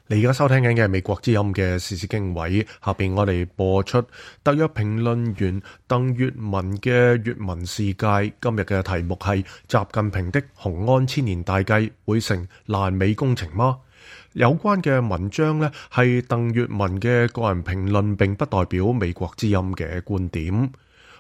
你而家收聽緊嘅係美國之音嘅時事經緯，下邊我哋播出特約評論員鄧粵文嘅粵文世界。今日嘅題目係習近平的雄安千年大計會成爛尾工程嗎？有關嘅文章呢係鄧粵文嘅個人評論，並不代表美國之音嘅觀點。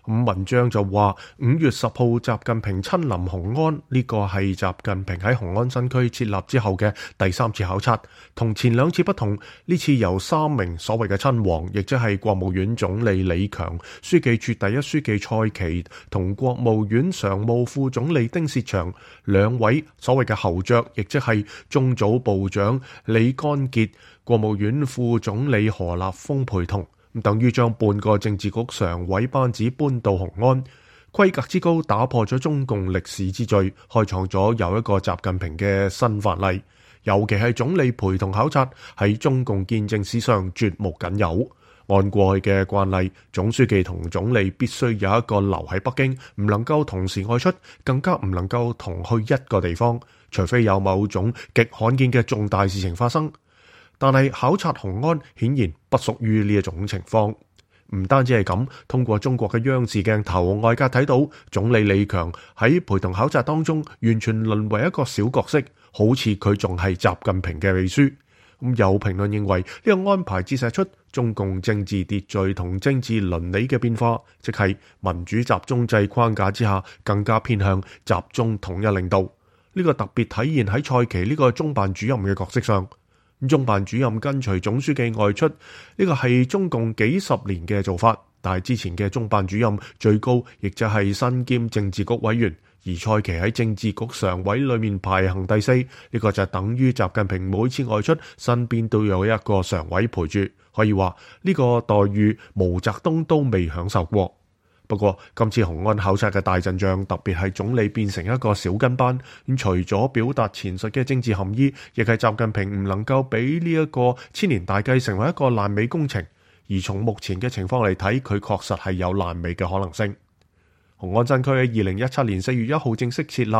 文章就話5月10號習近平親臨雄安，呢個係習近平喺雄安新區設立之後嘅第3次考察，同前2次不同，呢次由3名所謂嘅親王，亦即係國務院總理李強、書記處第一書記蔡奇同國務院常務副總理丁薛祥2位所謂嘅侯爵，亦即係中組部長李干傑、國務院副總理何立峰陪同。等於將半個政治局常委班子搬到雄安，規格之高打破咗中共歷史之最，開創咗又一個習近平嘅新範例。尤其係總理陪同考察，喺中共建政史上絕無僅有。按過去嘅慣例，總書記同總理必須有一個留喺北京，唔能夠同時外出，更加唔能夠同去一個地方，除非有某種極罕見嘅重大事情發生。但係考察雄安顯然不屬於呢一種情況。唔單止係咁，通過中國嘅央視鏡頭，外界睇到總理李強喺陪同考察當中，完全淪為一個小角色，好似佢仲係習近平嘅秘書。有評論認為呢個安排折射出中共政治秩序同政治倫理嘅變化，即係民主集中制框架之下，更加偏向集中統一領導。呢個特別體現喺蔡奇呢個中辦主任嘅角色上。中辦主任跟隨總書記外出，呢個係中共幾十年嘅做法，但係之前嘅中辦主任最高亦就係身兼政治局委員，而蔡奇喺政治局常委裏面排行第4，呢個就等於習近平每次外出身邊都有一個常委陪住，可以話呢個待遇毛澤東都未享受過。不過今次雄安考察嘅大陣仗，特別係總理變成一個小跟班，除咗表達前述嘅政治含義，亦係習近平唔能夠俾呢一個千年大計成為一個爛尾工程。而從目前嘅情況嚟睇，佢確實係有爛尾嘅可能性。雄安新區喺2017年4月1號正式設立，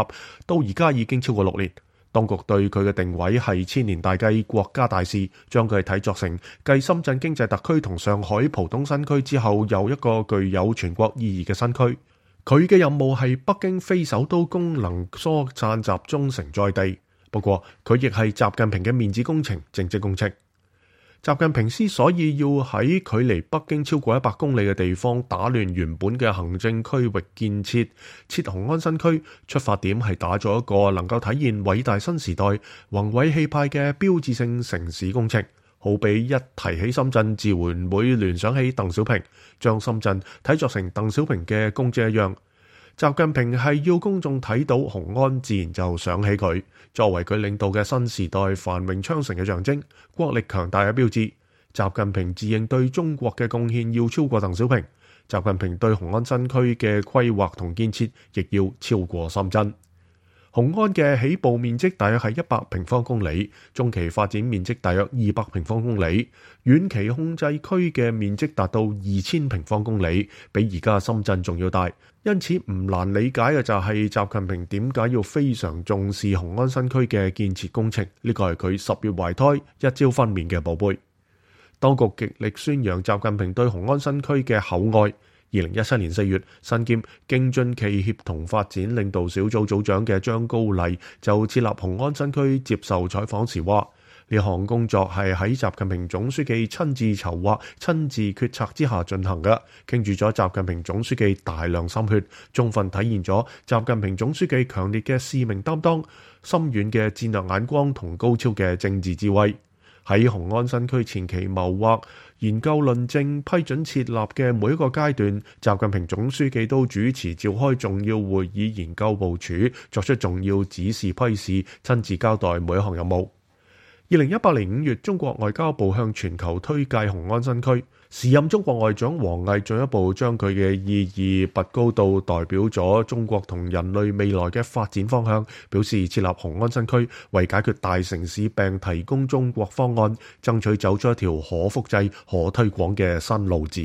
到而家已經超過6年。當局對佢嘅定位係千年大計國家大事，將佢睇作成繼深圳經濟特區同上海浦東新區之後，又一個具有全國意義嘅新區。佢嘅任務係北京非首都功能疏散集中成在地，不過佢亦係習近平嘅面子工程、政績工程。習近平之所以要喺距離北京超過100公里嘅地方打亂原本嘅行政區域建設，設雄安新區，出發點係打造一個能夠體現偉大新時代宏偉氣派嘅標誌性城市工程。好比一提起深圳，自然會聯想起鄧小平，將深圳睇作成鄧小平嘅功績一樣。習近平係要公眾睇到雄安，自然就想起佢，作為佢領導嘅新時代繁榮昌盛嘅象徵，國力強大嘅標誌。習近平自認對中國嘅貢獻要超過鄧小平，習近平對雄安新區嘅規劃同建設亦要超過深圳。雄安嘅起步面積大約係100平方公里，中期發展面積大約200平方公里，遠期控制區嘅面積達到2000平方公里，比而家深圳仲要大。因此唔難理解嘅就係習近平點解要非常重視雄安新區嘅建設工程，呢個係佢10月懷胎一朝分娩嘅寶貝。當局極力宣揚習近平對雄安新區嘅厚愛。2017年4月，身兼京津冀協同發展領導小組組長嘅張高麗就設立雄安新區接受採訪時話：呢項工作係喺習近平總書記親自籌劃、親自決策之下進行嘅，傾注咗習近平總書記大量心血，充分體現咗習近平總書記強烈嘅使命擔當、深遠嘅戰略眼光同高超嘅政治智慧。喺雄安新區前期謀劃、研究論證、批准設立嘅每一個階段，習近平總書記都主持召開重要會議，研究部署，作出重要指示批示，親自交代每一項任務。2018年5月，中國外交部向全球推介雄安新區，時任中國外長王毅進一步將佢嘅意義拔高到代表咗中國同人類未來嘅發展方向，表示設立雄安新區為解決大城市病提供中國方案，爭取走出一條可複製、可推廣嘅新路子。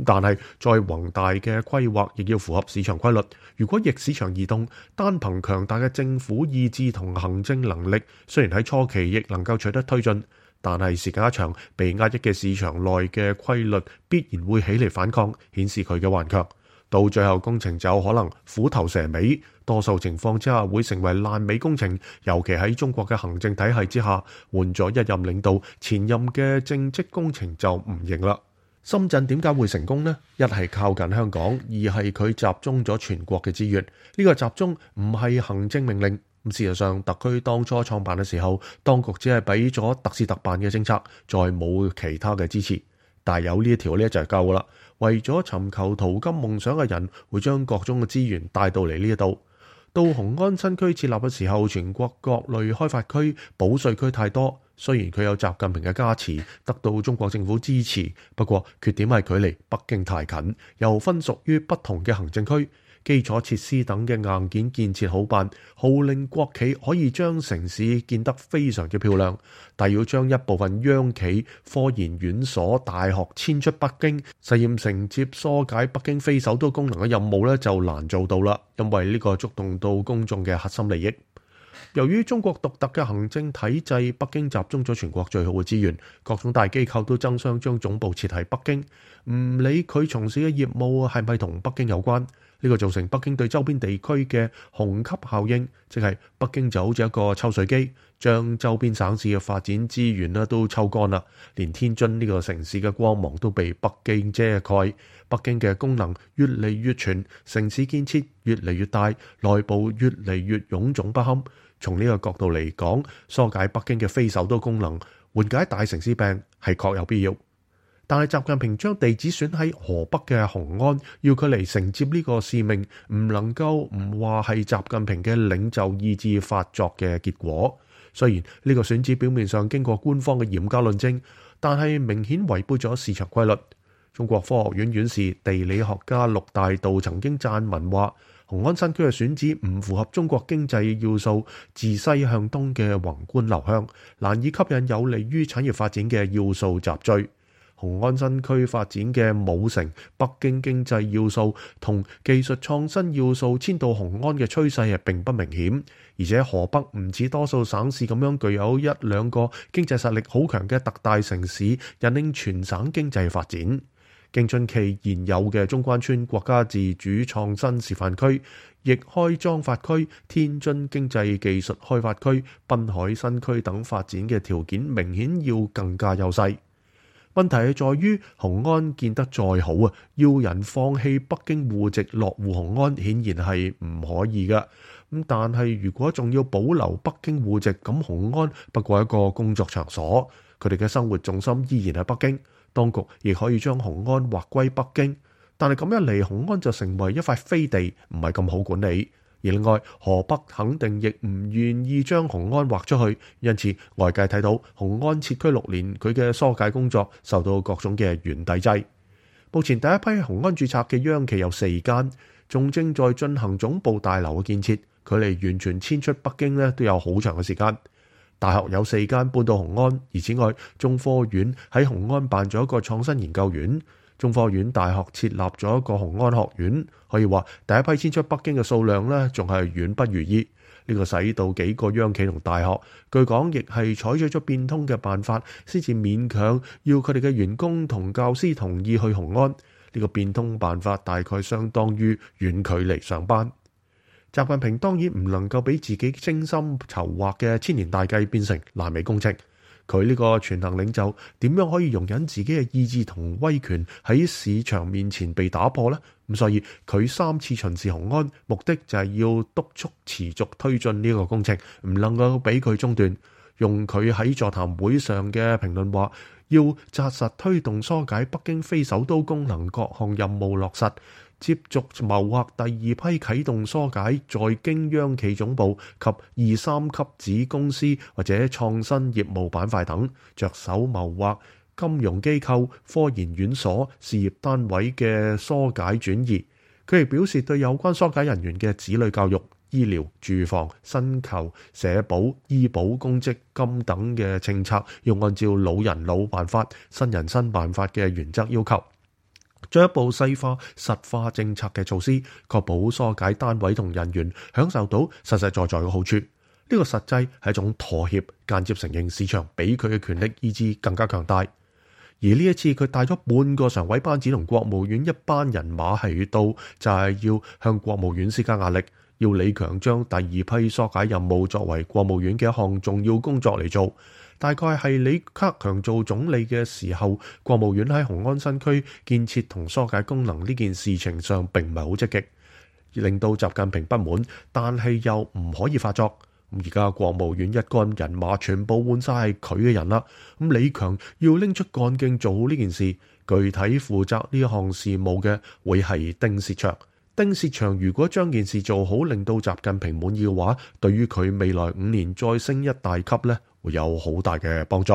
但係再宏大嘅規劃亦要符合市場規律，如果逆市場而動，單憑強大嘅政府意志同行政能力，雖然喺初期亦能夠取得推進，但係時間一長，被壓抑嘅市場內嘅規律必然會起嚟反抗，顯示佢嘅頑強。到最後工程就可能虎頭蛇尾，多數情況之下會成為爛尾工程。尤其喺中國嘅行政體系之下，換咗一任領導，前任嘅政績工程就唔認啦。深圳點解會成功呢？一係靠近香港，二係佢集中咗全國嘅資源。呢個集中唔係行政命令。事實上，特區當初創辦嘅時候，當局只係俾咗特事特辦嘅政策，再冇其他嘅支持。但係有呢一條呢就係夠啦。為咗尋求淘金夢想嘅人，會將各種嘅資源帶到嚟呢一度。到雄安新區設立嘅時候，全國各類開發區、保稅區太多。雖然佢有習近平嘅加持，得到中國政府支持，不過缺點係距離北京太近，又分屬於不同嘅行政區。基礎設施等嘅硬件建設好辦，號令國企可以將城市建得非常之漂亮，但要將一部分央企、科研院所、大學遷出北京，實現承接疏解北京非首都功能嘅任務呢，就難做到啦，因為呢個觸動到公眾嘅核心利益。由於中國獨特嘅行政體制，北京集中咗全國最好嘅資源，各種大機構都爭相將總部設喺北京，唔理佢從事嘅業務係咪同北京有關。呢個造成北京對周邊地區嘅虹吸效應，即係北京就好似一個抽水機，將周邊省市嘅發展資源都抽乾啦，連天津呢個城市嘅光芒都被北京遮蓋。北京嘅功能越嚟越全，城市建設越嚟越大，內部越嚟越臃腫不堪。從呢個角度嚟講，疏解北京嘅非首都功能，緩解大城市病係確有必要。但係習近平將地址選喺河北嘅雄安，要佢嚟承接呢個使命，唔能夠唔話係習近平嘅領袖意志發作嘅結果。雖然呢個選址表面上經過官方嘅嚴格論證，但係明顯違背咗市場規律。中國科學院院士、地理學家陸大道曾經撰文話，雄安新區嘅選址唔符合中國經濟要素，自西向東嘅宏觀流向，難以吸引有利於產業發展嘅要素集聚。雄安新區發展嘅母城北京經濟要素同技術創新要素遷到雄安嘅趨勢係並不明顯，而且河北唔似多數省市咁樣具有一兩個經濟實力好強嘅特大城市，引領全省經濟發展。京津冀現有嘅中關村國家自主創新示範區、易開莊發區、天津經濟技術開發區、濱海新區等發展嘅條件明顯要更加優勢。問題係在於雄安建得再好啊，要人放棄北京戶籍落戶雄安，顯然係唔可以㗎。但係如果仲要保留北京戶籍，咁雄安不過一個工作場所，佢哋嘅生活重心依然係北京。當局亦可以將雄安劃歸北京，但係咁一嚟，雄安就成為一塊飛地，唔係咁好管理。而另外，河北肯定亦唔願意將雄安劃出去，因此外界睇到雄安設區6年，佢嘅疏解工作受到各種嘅原地制。目前第一批雄安註冊嘅央企有4間，仲正在進行總部大樓嘅建設，距離完全遷出北京都有好長嘅時間。大學有4間搬到雄安，而此外，中科院喺雄安辦咗一個創新研究院。中科院大學設立咗一個雄安學院，可以話第一批遷出北京嘅數量仲係遠不如意。呢個使到幾個央企同大學，據講亦係採取咗變通嘅辦法，先至勉強要佢哋嘅員工同教師同意去雄安。呢個變通辦法大概相當於遠距離上班。習近平當然唔能夠俾自己精心籌劃嘅千年大計變成爛尾工程。佢呢個全能領袖點樣可以容忍自己嘅意志同威權喺市場面前被打破呢？咁所以佢3次巡視雄安，目的就係要督促持續推進呢個工程，唔能夠俾佢中斷。用佢喺座談會上嘅評論話，要紮實推動疏解北京非首都功能各項任務落實，接續謀劃第2批啟動疏解在京央企總部及2、3級子公司或者創新業務板塊等，着手謀劃金融機構、科研院所、事業單位嘅疏解轉移。佢亦表示對有關疏解人員嘅子女教育、醫療、住房、薪酬、社保、醫保、公積金等嘅政策，要按照老人老辦法、新人新辦法嘅原則要求，進一步細化實化政策嘅措施，確保疏解單位同人員享受到實實在在嘅好處。個實際係一種妥協，間接承認市場比佢嘅權力意志更加強大。而呢一次佢帶咗半個常委班子同國務院一班人馬喺度，就係要向國務院施加壓力，要李強將第二批疏解任務作為國務院嘅一項重要工作嚟做。大概係李克強做總理嘅時候，國務院喺雄安新區建設同疏解功能呢件事情上並唔係好積極，令到習近平不滿，但係又唔可以發作。而家國務院一干人馬全部換晒係佢嘅人啦，李強要拎出幹勁做好呢件事，具體負責呢項事務嘅會係丁薛祥。丁薛祥如果將件事做好，令到習近平滿意嘅話，對於佢未來5年再升一大級呢，會有好大嘅幫助。